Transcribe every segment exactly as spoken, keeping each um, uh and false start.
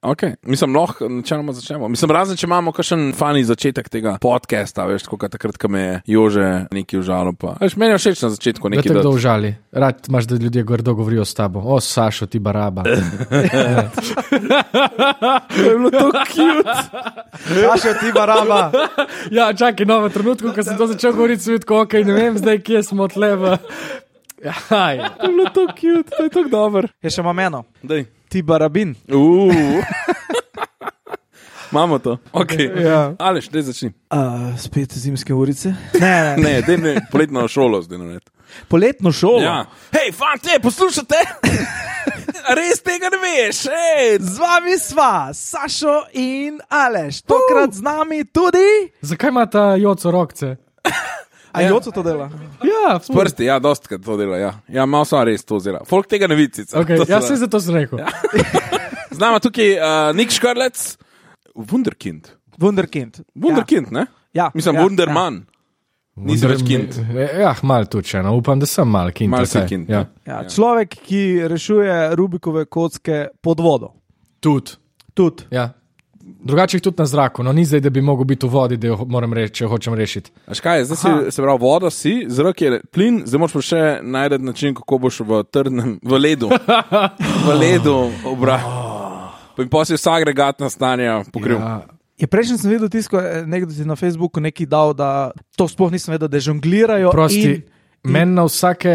Ok, mislim, lahko načeloma začnemo. Mislim, razen, če imamo kakšen fani začetek tega podcasta, veš, tako takrat, ko me je Jože nekaj užalo, pa. Veš, meni je všeč na začetku nekaj. Da te kdo užali. Rad imaš, da ljudje grdo govorijo s tabo. O, Sašo, ti baraba. To je bilo to cute. Sašo, ti baraba. Ja, čakaj, no, v trenutku, ko sem to začel govoriti, sem videl, ok, ne vem zdaj, kje smo tleva. Jaj. To je bilo to cute, to je tako dober. Je še imam eno. Dej. Ti barabin. Uuu. Imamo to. Ok. Ja. Aleš, dej začni. Uh, spet zimske urice. Ne, ne. Ne, dej ne, poletno šolo zdaj nared. Poletno šolo? Ja. Hej, fante, poslušate? Res tega ne veš, hej. Z vami sva, Sašo in Aleš. Tokrat z nami tudi... Zakaj ima ta Joco rokce? A ja. Joco to dela? Ja, s prsti, ja, dostkrat to dela, ja. Ja, malo sva res to zela. Folk tega ne vidi sicer. Okay, ja, se zato sem rekel. Ja. Z nama tukaj uh, Nik Škrlec, Wunderkind. Wunderkind. Wunderkind, ne? Ja. Mislim, ja, Wunderman. Ja. Nisi več kind. Ja, mal tudi še, no, upam, da sem mal kind. Mal si kind, ja. Ja, človek, ki rešuje Rubikove kocke pod vodo. Tud. Tud. Ja. Drugače jih tudi na zraku, no ni zdaj, da bi mogel biti v vodi, da jo moram reči, če jo hočem rešiti. A škaj, zdaj si, se pravi, voda si, zrak je plin, zdaj moraš pa še najti način, kako boš v trdnem, v ledu, v ledu obral. In potem si vsa agregatna stanja pokril. Ja. Je prejšnji sem videl tisko, nekdo si na Facebooku nekaj dal, da to sploh nisem vedel, da žonglirajo. Prosti, in, in... meni na vsake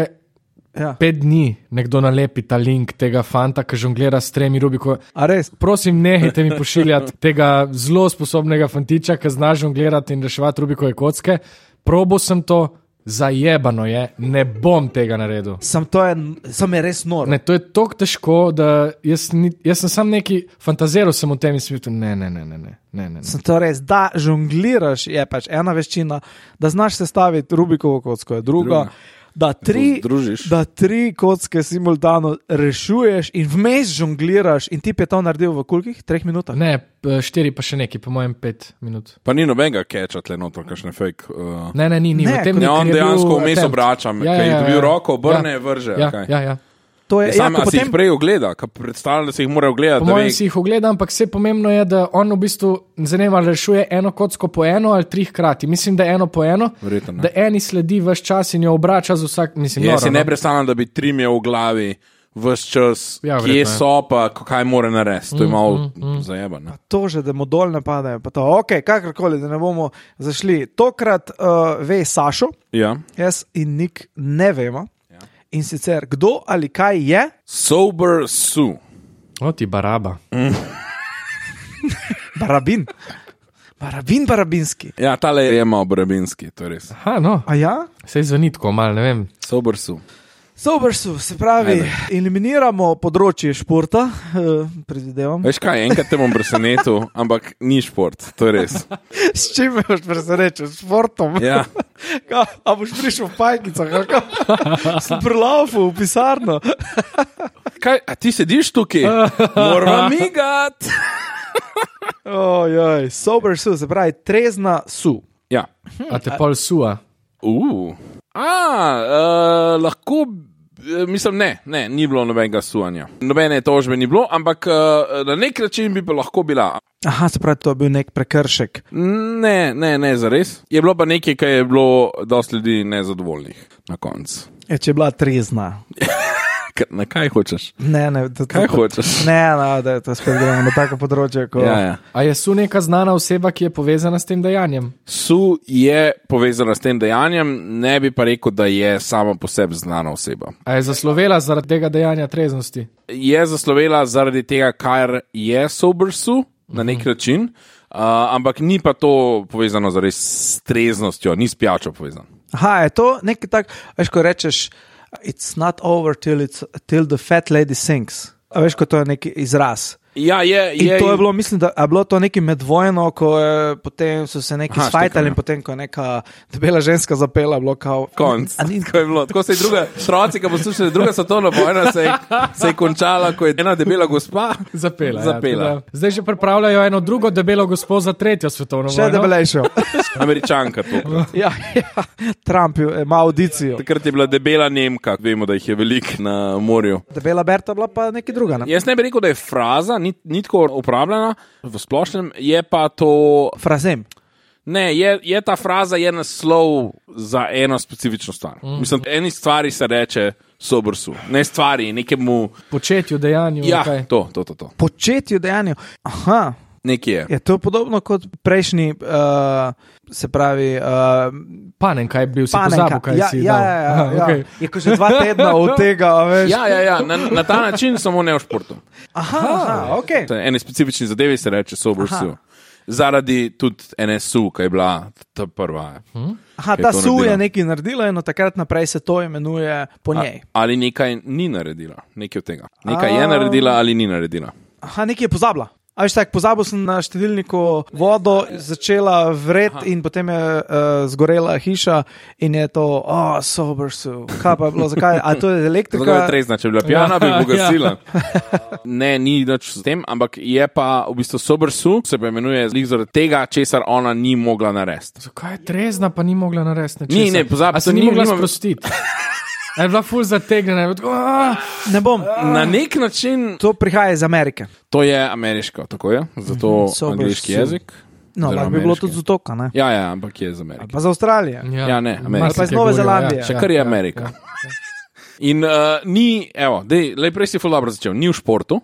ja. pet dni nekdo nalepi ta link tega fanta, ki žonglira s tremi Rubikov. A res? Prosim, nehajte mi pošiljati tega zelo sposobnega fantiča, ki zna žonglirati in reševati Rubikove kocke. Probo sem to, zajebano je, ne bom tega naredil. Sam to je, sam je res noro. Ne, to je toliko težko, da jaz, ni, jaz sem sam neki fantaziral sem v tem in smitu, ne, ne, ne, ne, ne, ne, ne. Sam to res, da žongliraš je pač ena veščina, da znaš sestaviti Rubikovo kocko, je druga. druga. Da tri, da tri kocke simultano rešuješ in vmes žongliraš in ti je to naredil v kolikih? Treh minutah? Ne, štiri pa še neki, po mojem pet minut. Pa ni nobenega catcha tle notor, kakšne fake. Uh... Ne, ne, ni, ni. Ne, v tem ne, on dejansko vmes attempt. obračam, Ja, ker ja, je ja, dobil ja. roko, obrne, Ja. vrže. Ja, okay. ja, ja. To je, Sam, ja, a si potem... jih prej ogleda, ka predstavljam, da si jih mora ogledati. Po mojem si jih ogleda, ampak vse pomembno je, da on v bistvu zanima, rešuje eno kocko po eno ali tri hkrati. Mislim, da eno po eno, Verjetno, da eni sledi vse čas in jo obrača z vsak, mislim, Jaz noro, si ne no. predstavljam, da bi trim je v glavi vse čas, Ja, kje verjetno je. so pa, kaj mora narediti. To je malo mm, mm, zajebano. To že, da mu dol ne padajo. Pa to, ok, kakorkoli, da ne bomo zašli. Tokrat uh, ve Sašo, Ja. jaz in Nik ne vemo. In sicer, kdo ali kaj je? Sober Sue. O, ti baraba. Barabin. Barabin, barabinski. Ja, tale je malo barabinski, to je res. Aha, no, A ja? sej zveni tako mal, ne vem. Sober Sue. Sobersu, se pravi, Ajde. eliminiramo področje športa, uh, predvidevam. Veš kaj, enkrat te bom presenetil, ampak ni šport, to je res. S čim me boš presenečil? S športom? Ja. Ka, a boš prišel v pajkicah? Sem prelaufu v pisarno. Kaj, a ti sediš tukaj? Moramo migat. Ojoj, sober su, se pravi, trezna su. Ja. A te pol sua? Uh. A, uh, lahko, mislim, ne, ne, ni bilo nobenega suvanja. Nobene tožbe ni bilo, ampak uh, na nek način bi pa lahko bila. Aha, se pravi, to je bil nek prekršek. Ne, ne, ne, zares. Je bilo pa nekaj, kar je bilo dosti ljudi nezadovoljnih na koncu. Je, če je bila trezna. Na kaj hočeš? Ne, ne. To, Kaj to, hočeš? Ne, no, da je to spet gremo na tako področje. Ko... Ja, ja. A je su neka znana oseba, ki je povezana s tem dejanjem? Su je povezana s tem dejanjem, ne bi pa rekel, da je sama po sebi znana oseba. A je zaslovela zaradi tega dejanja treznosti? Je zaslovela zaradi tega, kar je sober Su na nek način, uh, ampak ni pa to povezano zares s treznostjo, ni s pijačo povezano. Aha, je to nekaj tak, veš, ko rečeš, it's not over till, it's, till the fat lady sings. A veš, ko to je neki izraz. Ja, je, In je, to je bilo, mislim, da je bilo to neki medvojno, ko je, potem so se neki Aha, sfajtali štekam, in potem, ko je neka debela ženska zapela, bilo kao... konc. A ni- Tako je bilo. Tako se je druga, otroci, ki poslušali, druga svetovna vojna se je, se je končala, ko je ena debela gospa Zapela. Zapela. Ja, teda. Zdaj že pripravljajo eno drugo debelo gospo za tretjo svetovno Še vojno. debelejšo. Američanka to. ja, ja, Trump je- ima audicijo. Takrat je bila debela Nemka, vemo, da jih je veliko na morju. Debela Berta bila pa nekaj druga. Ne? Jaz ne bi rekel, da je fraza, ni ni, ni tako uporabljena v splošnem, je pa to. Frazem. Ne, je, je ta fraza je naslov za eno specifično stvar. Mm. Mislim, eni stvari se reče sober su, ne stvari, nekemu. Početju, dejanju. Ja, okay. to, to, to, to. Početju, dejanju. Aha. Nekje je. Je to podobno kot prejšnji, uh, se pravi. Uh, Panenka je bil, si panenka. Pozabil, kaj ja, si ja, dal. ja, ja, Aha, ja. Okay. Je ko že dva tedna od tega, veš. Ja, ja, ja. Na, na ta način samo ne v športu. Aha, aha, ok. Eni specifični zadevi se reče sober Aha. su. Zaradi tudi N S U, ki je bila ta prva. Hmm? Aha, ta su je nekaj naredila in od takrat naprej se to imenuje po njej. A, ali nekaj ni naredila, nekaj od tega. Nekaj A... je naredila ali ni naredila. Aha, nekaj je pozabila. A veš tak, pozabil sem na štedilniku vodo, začela vret in potem je uh, zgorela hiša in je to, oh, sober su. Kaj pa je bilo, zakaj? A to je elektrika? Zato je trezna, če bi bila pijana, bi pogasila. Ne, ni nič s tem, ampak je pa v bistvu sober su, se pa imenuje zaradi tega, česar ona ni mogla narediti. Zakaj je trezna, pa ni mogla narediti? Ni, ne, pozabi. A se ni mogla sprostiti? Je bila ful zategnjena. Ne bom. Na nek način. To prihaja iz Amerike. To je ameriško, tako je, zato mm-hmm. angliški jezik. No, lahko bi bilo tudi z otoka, ne? Ja, ja, ampak je iz Amerike. Pa za Avstralijo. Ja, ja ne, Amerika. Pa iz Nove Zelandije. Ja. Še kar je Amerika. Ja, ja. In uh, ni, evo, dej, lej prej si ful dobro začel, ni v športu.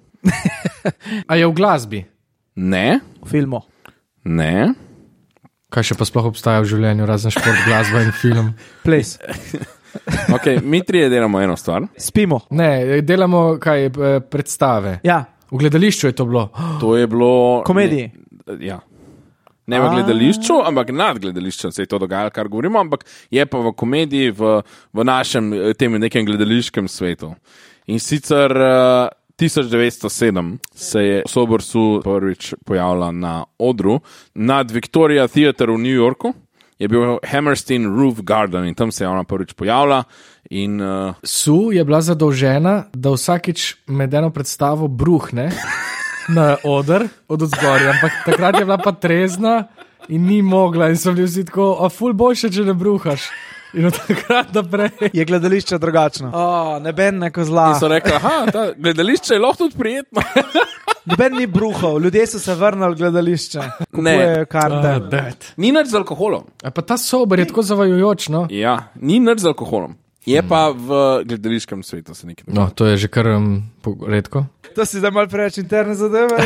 A je v glasbi? Ne. V filmu? Ne. Kaj še pa sploh obstaja v življenju, razen šport, glasba in film? Ples. Okay, mi trije delamo eno stvar. Spimo. Ne, delamo kaj, predstave. Ja. V gledališču je to bilo. To je bilo. Komediji. Ne, ja. Ne v gledališču, ampak nad gledališčem se je to dogajalo, kar govorimo, ampak je pa v komediji, v, v našem tem nekem gledališkem svetu. In sicer uh, tisoč devetsto sedem se je sober su prvič pojavila na odru nad Victoria Theatre v New Yorku. Je bil Hammerstein Roof Garden in tam se je ona prvič pojavila. In, uh... Su je bila zadolžena, da vsakič med eno predstavo bruhne na oder od odzgorja, ampak takrat je bila pa trezna in ni mogla in so bili vsi tako, a ful boljše, če ne bruhaš. In od takrat naprej je gledališče drugačno. Oh, neben neko zla. In so rekli, aha, ta gledališče je lahko tudi prijetno. Noben ni bruhal, ljudje so se vrnili v gledališče. Kupujejo karte. Uh, ni nič z alkoholom. A pa ta sober je tako zavajujoč, no? Ja, ni nič z alkoholom. Je hmm. pa v gledališkem svetu se nekaj. No, to je že kar um, redko. To si zdaj malo preveč interne zadeve.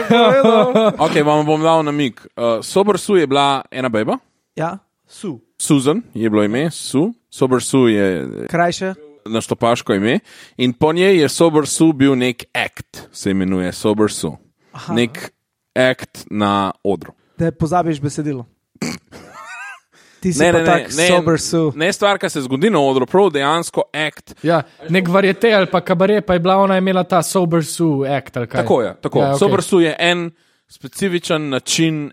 Ok, vam bom dal namig. Uh, sober su je bila ena beba. Ja, su. Susan je bilo ime, su. Sober su je krajše. Naštopaško ime. In po njej je sober su bil nek act, se imenuje sober su. Aha. Nek act na odru. Da pozabiš besedilo. Ti si ne, pa ne, tak ne, sober su. Ne stvar, ki se zgodi na odru, prav dejansko act. Ja, nek varjete ali pa kabaret, pa je bila ona imela ta sober su act. Tako je, tako. Ja, okay. Sober su je en specifičen način,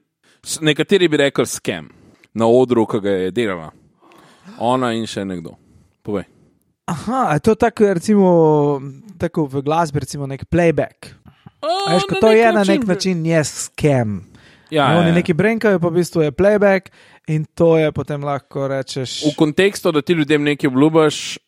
nekateri bi rekli scam, na odru, ki ga je delala. Ona in še nekdo. Povej. Aha, je to tako, recimo, tako v glasbi, recimo nek playback. A veš, ko to je na nek način, je scam. Ja, no, oni neki brenkajo, pa v bistvu je playback in to je potem lahko rečeš. V kontekstu, da ti ljudem nekaj obljubaš,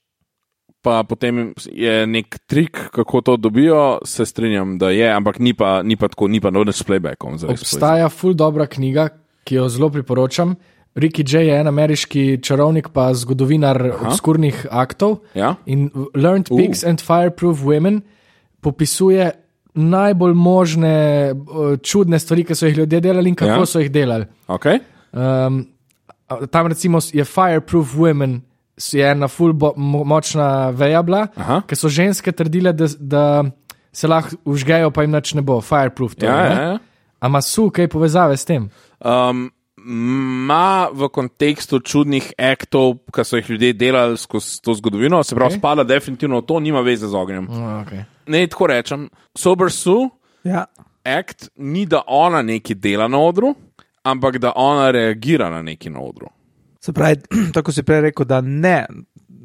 pa potem je nek trik, kako to dobijo, se strinjam, da je, ampak ni pa, ni pa tako, ni pa noč s playbackom. Obstaja ful dobra knjiga, ki jo zelo priporočam. Ricky Jay je en ameriški čarovnik pa zgodovinar Aha. obskurnih aktov ja? in Learned Pigs uh. and Fireproof Women popisuje najbolj možne čudne stvari, ki so jih ljudje delali in kako ja? so jih delali. Okay. Um, tam recimo je Fireproof Women, je ena ful bo, mo, močna veja bila, ker so ženske trdile, da, da se lahko užgejo, pa jim nič ne bo. Fireproof to. Ja, ja, ja. A ima su kaj povezave s tem? Um, Ma v kontekstu čudnih aktov, ki so jih ljudje delali skozi to zgodovino, se pravi, okay. spada definitivno to, nima veze z ognjem. Oh, okay. Ne, tako rečem, sober su, ja. Act ni, da ona nekaj dela na odru, ampak da ona reagira na nekaj na odru. Se pravi, tako si prej rekel, da ne,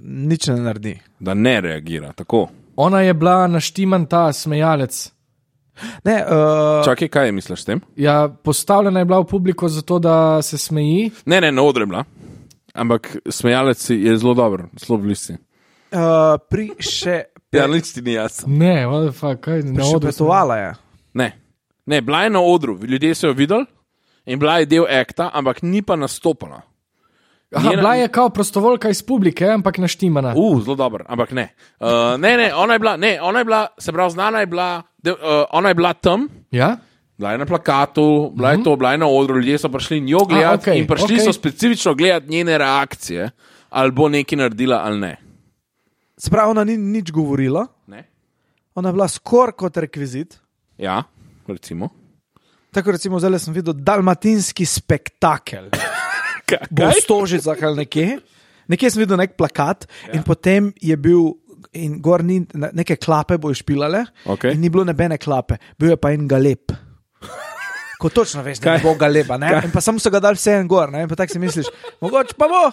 nič ne naredi. Da ne reagira, tako. Ona je bila naštiman ta smejalec. Ne, uh... Čakaj, kaj je misliš s tem? Ja, postavljena je bila v publiko zato, da se smeji. Ne, ne, na odru je bila. Ampak smejalec je zelo dober, zelo blisti. Uh, pri še... Ja, nič ti ni jasno. Ne, what the fuck, kaj? Prišepetovala je. Ne. Ne, bila je na odru, ljudje so jo videli in bila je del akta, ampak ni pa nastopala. Aha, Njena... bila je kao prostovoljka iz publike, ampak naštimana. Uh, zelo dobro, ampak ne. Uh, ne, ne, ona je bila, ne, ona je bila, se pravi, znana je bila, de, uh, ona je bila tam. Ja? Bila je na plakatu, bila je to, bila je na odru, ljudje so prišli njo gledati okay, in prišli okay. so specifično gledati njene reakcije, ali bo nekaj naredila ali ne. Se pravi, ona ni nič govorila, ne? Ona je bila skoraj kot rekvizit. Ja, recimo. Tako recimo, zdaj sem videl dalmatinski spektakel. Bo v Stožicah ali nekje. Nekje sem videl nek plakat ja. In potem je bil, in gor ni, neke klape bojo špilale okay. In ni bilo nebene klape, bil je pa en galeb. Ko točno veš, da ne bo galeba, ne? In pa samo so ga dali vse en gor, ne? In pa tak si misliš, mogoče pa bo,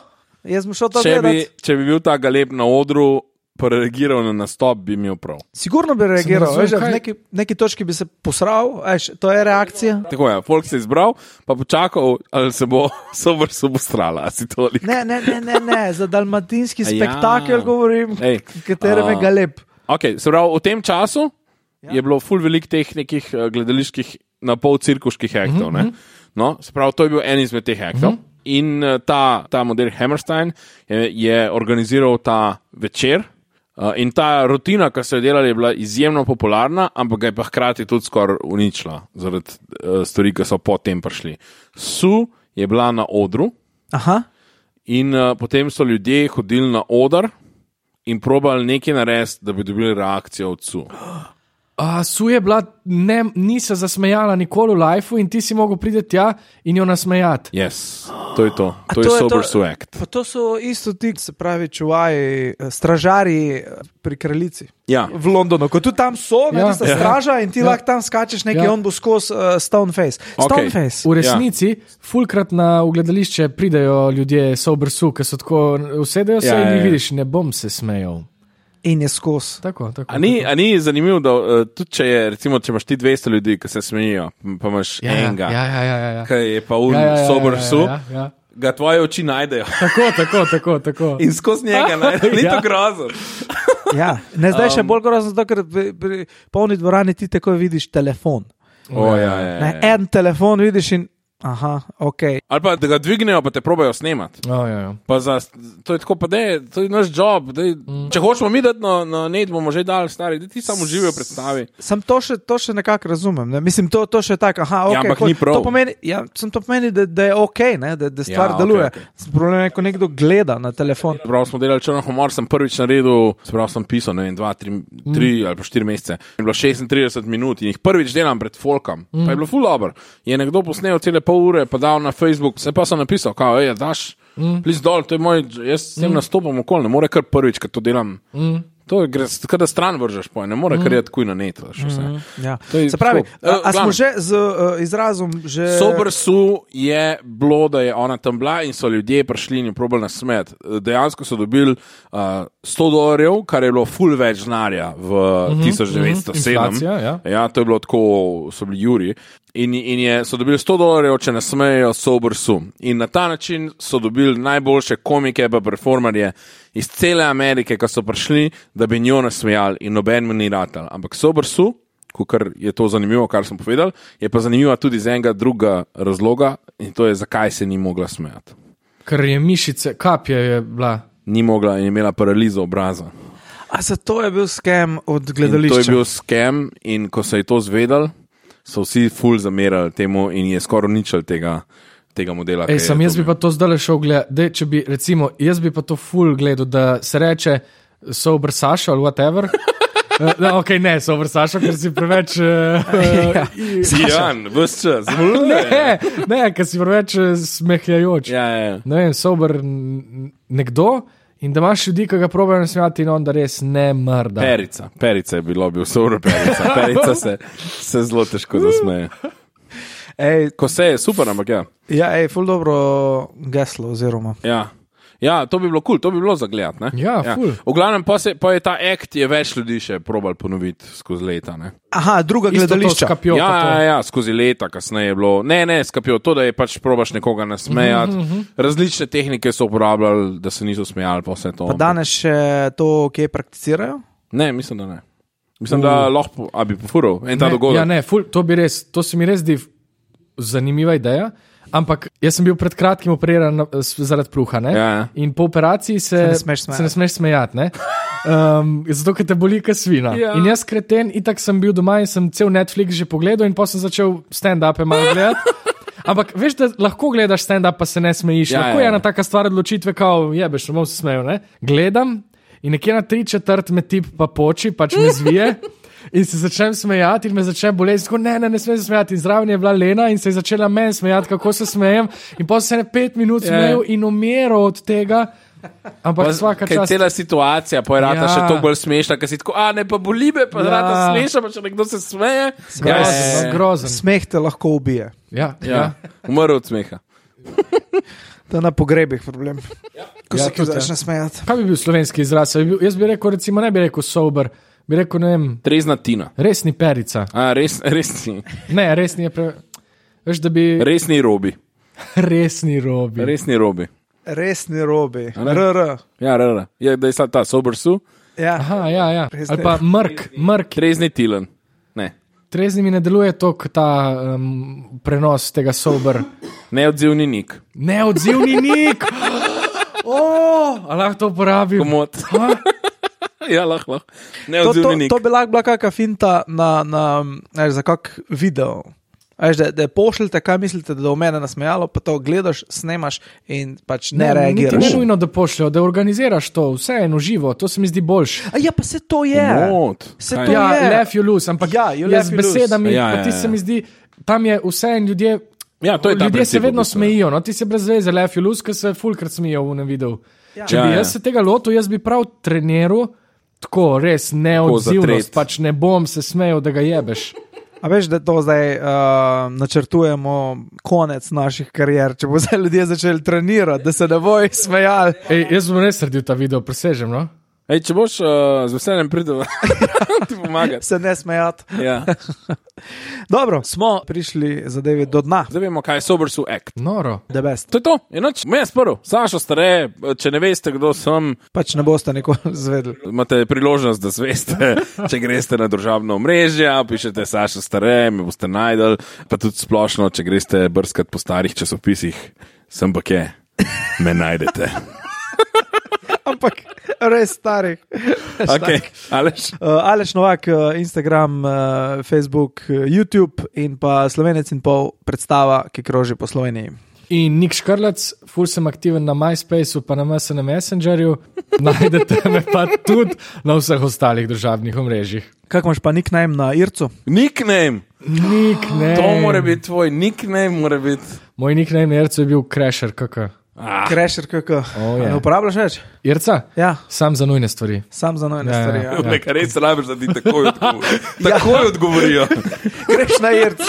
jaz bom šel to če gledati. Bi, če bi bil ta galeb na odru, pa reagiral na nastop, bi imel prav. Sigurno bi reagiral, veš, v neki, neki točki bi se posral, veš, to je reakcija. Tako je, folk se je izbral, pa počakal, ali se bo sober subostrala, si toliko. Ne, ne, ne, ne, ne, za dalmatinski spektakel ja. Govorim, Ej, katerem je galeb. Ok, se pravi, v tem času ja. Je bilo ful velik teh nekih gledaliških na pol cirkuških aktov, mm-hmm. ne? No, se pravi, to je bil en izmed teh aktov. Mm-hmm. In ta, ta model Hammerstein je, je organiziral ta večer. Uh, in ta rutina, ki so jo delali, je bila izjemno popularna, ampak ga je pa hkrati tudi skoraj uničila zaradi uh, stvari, ki so potem prišli. Su je bila na odru. Aha. In uh, potem so ljudje hodili na oder in probali nekaj narediti, da bi dobili reakcijo od Su. A, Su je bila, ne, ni se zasmejala nikoli v lifeu in ti si mogel priti tja in jo nasmejati. Yes, to je to. To, to je, je Sober Su act. Pa to so isto ti, se pravi, čuvaji, stražari pri kraljici. Ja. V Londonu, ko tu tam so, ne, ja. tista straža in ti ja. Lahko tam skačeš nekaj, ja. On bo skozi uh, Stoneface. Stoneface. Okay. V resnici, ja. Fulkrat na gledališče pridejo ljudje Sober Su, ki so tako, usedejo se ja, in jih ja. Vidiš, ne bom se smejal. In je skos. Tako, tako, a, ni, a ni zanimivo, da uh, tudi če je, recimo, če imaš ti dvesto ljudi, ki se smejijo, pa imaš ja, enega, ja, ja, ja, ja. ki je pa un ja, ja, ja, Sober Su, ja, ja, ja. Ga tvoje oči najdejo. Tako, tako, tako, tako. In skozi njega najdejo, ni ja. To grozno. Ja, ne zdaj um, še bolj grozno, zato, ker pri, pri polni dvorani ti tako vidiš telefon. O, ja, ja, ja, ne, ja. En telefon vidiš in aha, ok. Ali pa da ga dvignejo, pa te probajo snemati. Oh, ja, ja. Za, to je tako, pa dej, to je naš job. Dej, mm. Če hočemo mi dati na, na net, bomo že dali stari, da ti samo živijo predstavi. Sam to še, to še nekako razumem. Ne? Mislim, to, to še tako, aha, ok. Ja, ampak ni prav. To pomeni, ja, sem to pomeni, da, da je ok, ne? Da, da stvar ja, deluje. Okay, okay. Problem je, ko nekdo gleda na telefon. Prav smo delali črno humor, sem prvič naredil, sprav sem pisal, ne vem, dva, tri, mm. tri ali pa štiri mesece. Je bilo šestintrideset minut in jih prvič delam pred folkom. Mm. Pa je bilo ful dobro. Je nekdo posnel cele pol ure, pa dal na Facebook, se pa sem napisal, kao, ej, daš, mm. plis dol, to je moj, jaz s tem mm. nastopam okoli, ne more kar prvič, kad to delam. Mm. To je, kada stran vržeš, poj, ne more mm. kar je tako na net. Mm. Ja. Se pravi, a, a smo že z uh, izrazom, že... Sober Su je bilo, da je ona tam bila in so ljudje prišli in probali nasmet. Dejansko so dobili uh, sto dolarjev, kar je bilo ful več znarja v mm-hmm, tisoč devetsto sedem. Mm-hmm. Inflacija, ja. Ja, to je bilo tako, so bili juri. In, in je, so dobili sto dolarjev, če nasmejejo Sober Su. In na ta način so dobili najboljše komike pa performerje iz cele Amerike, ki so prišli, da bi njo nasmejali in noben mu ni ratal. Ampak Sober Su, kar je to zanimivo, kar sem povedal, je pa zanimiva tudi z enega druga razloga in to je, zakaj se ni mogla smejati. Ker je mišice, kapje je bila. Ni mogla in je imela paralizo obraza. A zato je bil skem od gledališča? In to je bil skem in ko se je to zvedal, so vsi ful zamerali temu in je skoraj uničil tega, tega modela. Ej, sam jaz bi pa to zdaj šel gledati, če bi, recimo, jaz bi pa to ful gledal, da se reče Sober Sašo ali whatever. No, ok, ne, Sober Sašo, ker si preveč... Uh, ja, Jan, vse čas. Ne, ne, ker si preveč smehljajoč. Ja, ja. Ne vem, Sober nekdo... In da imaš ljudi, ki ga probajo nasmejati in on da res ne mrda. Perica, perica je bilo, bil Sober Perica. Perica se, se zelo težko zasmeje. Ej, ko se je, super, ampak ja. Ja, ej, ful dobro geslo oziroma. Ja. Ja, to bi bilo kul, cool, to bi bilo za gledat, ne? Ja, ja. Ful. V glavnem pa, se, pa je ta act je več ljudi še probal ponoviti skozi leta, ne? Aha, druga gledališča. Skapjo, ja, ja, ja, skozi leta kasneje je bilo. Ne, ne, skapjo, to, da je pač probaš nekoga nasmejati. Uh-huh, uh-huh. Različne tehnike so uporabljali, da se niso smejali, pa vse to. Pa danes še to, kje prakticirajo? Ne, mislim, da ne. Mislim, da lahko, a bi pofuril en ta ne, dogodek. Ja, ne, ful, to, bi res, to se mi res zdi zanimiva ideja, ampak jaz sem bil pred kratkim operiran zaradi pluha, ne? Ja, ja. In po operaciji se, Se ne smeš smejati. se ne smeš smejati, ne? Um, zato, ker te boli kot svina. Ja. In jaz kreten, itak sem bil doma in sem cel Netflix že pogledal in potem sem začel stand-upe malo gledati. Ampak veš, da lahko gledaš stand-up, pa se ne smejiš. Ja, lahko ja, je ja. ena taka stvar odločitve, kao jebeš, ne bom se smejal, ne? Gledam in nekje na tri četrt me tip pa poči, pač me zvije in se začnem smejati in me začne boleti. Tako, ne, ne, ne smem se smejati. In zraven je bila Lena in se je začela meni smejati, kako se smejem. In potem se je pet minut smejal in umiral od tega. Ampak vsaka Kaj čast. cela situacija, pa je rata Ja. še toliko bolj smešna, ker si tako, a ne pa boli me, pa Ja. ja. rata smešna, pa če nekdo se smeje. Grozen, Ja, no, grozen. Smeh te lahko ubije. Ja, ja. ja. Umrl od smeha. To je na pogrebih problem. Ko Ja, se ti tudi, začne smejati. Kaj bi bil slovenski izraz? Bi bil, jaz bi rekel, recimo, ne bi rekel sober, bi rekel, ne vem, Trezna tina. resni perica. A, res, resni, Ne, resni je pre... Veš, da bi... resni robi. Resni robi. Resni robi. Resni robi. ne? R R. Ja, rara. Je, da je sad ta sober su, Ja. Aha, ja, ja. Resni. Ali pa mrk, mrk. trezni tilen. Ne. Trezni mi ne deluje toliko ta um, prenos tega sober. Neodzivni nik. Neodzivni nik! Oh, a lahko to uporabim? Komod. Ja, lahko, lahko. To, to, Neodzivni nik. to bi lahko bila kakšna finta na, na, veš, za kak video. Veš, da, da pošljete, kaj mislite, da je v mene nasmejalo, pa to gledaš, snemaš in pač ne, ne reagiraš. Ne nujno, da pošljajo, da organiziraš to, vse eno živo, to se mi zdi boljše. A ja, pa se to je. Komod. Se Kaj? to Ja, je. laugh you lose, ampak Ja, you jaz laugh, z you lose. besedami, Ja, pa ja, ti ja. se mi zdi, tam je vse in ljudje, Ja, to je ta ljudje se princip, vedno v bistvu. smejijo, no, ti se brez veze laugh you lose, ker se fulkrat smejijo v enem videu. Ja. Če Ja, bi ja. jaz se tega lotil, jaz bi prav treniral, tako res neodzivnost, zatret. pač ne bom se smejal, da ga jebeš. A veš, da to zdaj uh, načrtujemo konec naših karier, če bo zdaj ljudje začeli trenirati, da se ne bojo smejali. Ej, jaz bom res naredil ta video, presežem, no? Ej, če boš uh, z veseljem pridel, ti pomagati. Se ne smejati. Ja. Dobro, smo prišli zadevi do dna. Zdaj vemo, kaj je sober su act. Noro. The best. To je to, enoč, me je sprl, Sašo Stare, če ne veste, kdo sem, Pač ne boste nikoli zvedeli. imate priložnost, da zveste, če greste na družabno omrežje, pišete Sašo Stare, me boste najdel, pa tudi splošno, če greste brskat po starih časopisih, sem pa kje, me najdete. Ampak res starih. Okay, Aleš? Uh, Aleš Novak, uh, Instagram, uh, Facebook, uh, YouTube in pa Slovenec in pol predstava, ki kroži po Sloveniji. In Nik Škrlec, ful sem aktiven na MySpaceu, pa na M S N Messengerju, najdete me pa tudi na vseh ostalih državnih omrežjih. Kako imaš pa nickname na Ircu? Nickname, Nickname. to mora biti tvoj nickname, mora biti. Moj nickname na Ircu je bil Crasher, kaka. Ah, Crasher, kako? Oh, je. Ne uporabljaš več? Irca? Ja, Sam za nujne stvari. sam za nojne Ja, stvari. ja. Ja. nekaj res rabiš, da ti takoj odgovorijo. Takoj odgovorijo. Greš na Irc.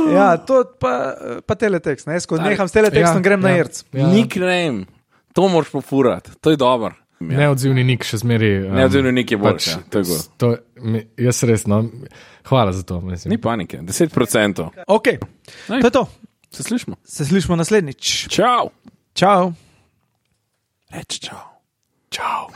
Ja, to pa, pa teletekst. Ne? Jaz, ko neham s teletekstom, Ja, grem na ja. Irc. Ja. Nickname, to moraš pofurati, to je dobro. Neodzivni Nik še zmeri. Um, Neodzivni nik je boljši, ja, to je gor. to, mi, jaz res, no, hvala za to. Mislim. Ni panike, deset procentov. Ok, to je to. Se slišimo? Se slišimo naslednjič. Čau. Čau. Reč čau. Čau.